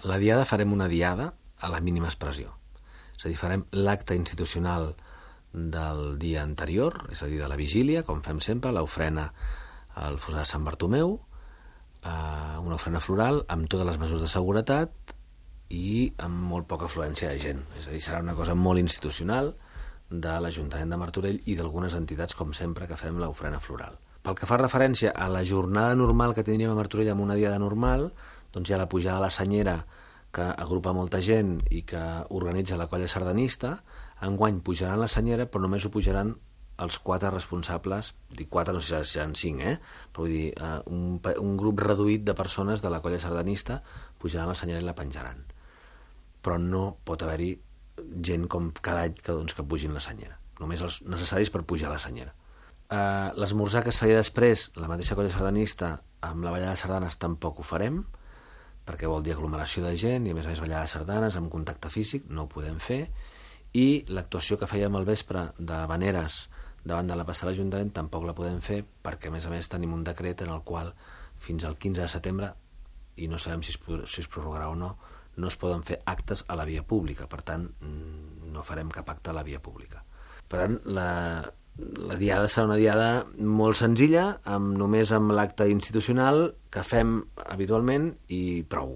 La diada farem una diada a la mínima expressió. És a dir, farem l'acte institucional del dia anterior, és a dir, de la vigília, com fem sempre, l'ofrena al Fossar de Sant Bartomeu, una ofrena floral amb totes les mesures de seguretat i amb molt poca afluència de gent. És a dir, serà una cosa molt institucional de l'Ajuntament de Martorell i d'algunes entitats, com sempre, que fem l'ofrena floral. Pel que fa referència a la jornada normal que tindríem a Martorell amb una diada normal, doncs hi ha la pujada a la Senyera, que agrupa molta gent i que organitza la colla sardanista. Enguany pujaran la Senyera, però només ho pujaran els 4 responsables, dic 4, no sé si seran 5, però vull dir, un grup reduït de persones de la colla sardanista pujaran la Senyera i la penjaran. Però no pot haver-hi gent com cada any que pugin la Senyera, només els necessaris per pujar la Senyera. L'esmorzar que es feia després, la mateixa colla sardanista, amb la ballada de sardanes tampoc ho farem, perquè vol dir aglomeració de gent i a més ballada de sardanes amb contacte físic, no ho podem fer, i l'actuació que fèiem al vespre de Vaneres davant de la plaça de l'Ajuntament tampoc la podem fer perquè a més tenim un decret en el qual fins al 15 de setembre, i no sabem si es prorrogarà o no, no es poden fer actes a la via pública, per tant no farem cap acte a la via pública. Per tant, la diada serà una diada molt senzilla, només amb l'acte institucional que fem habitualment i prou.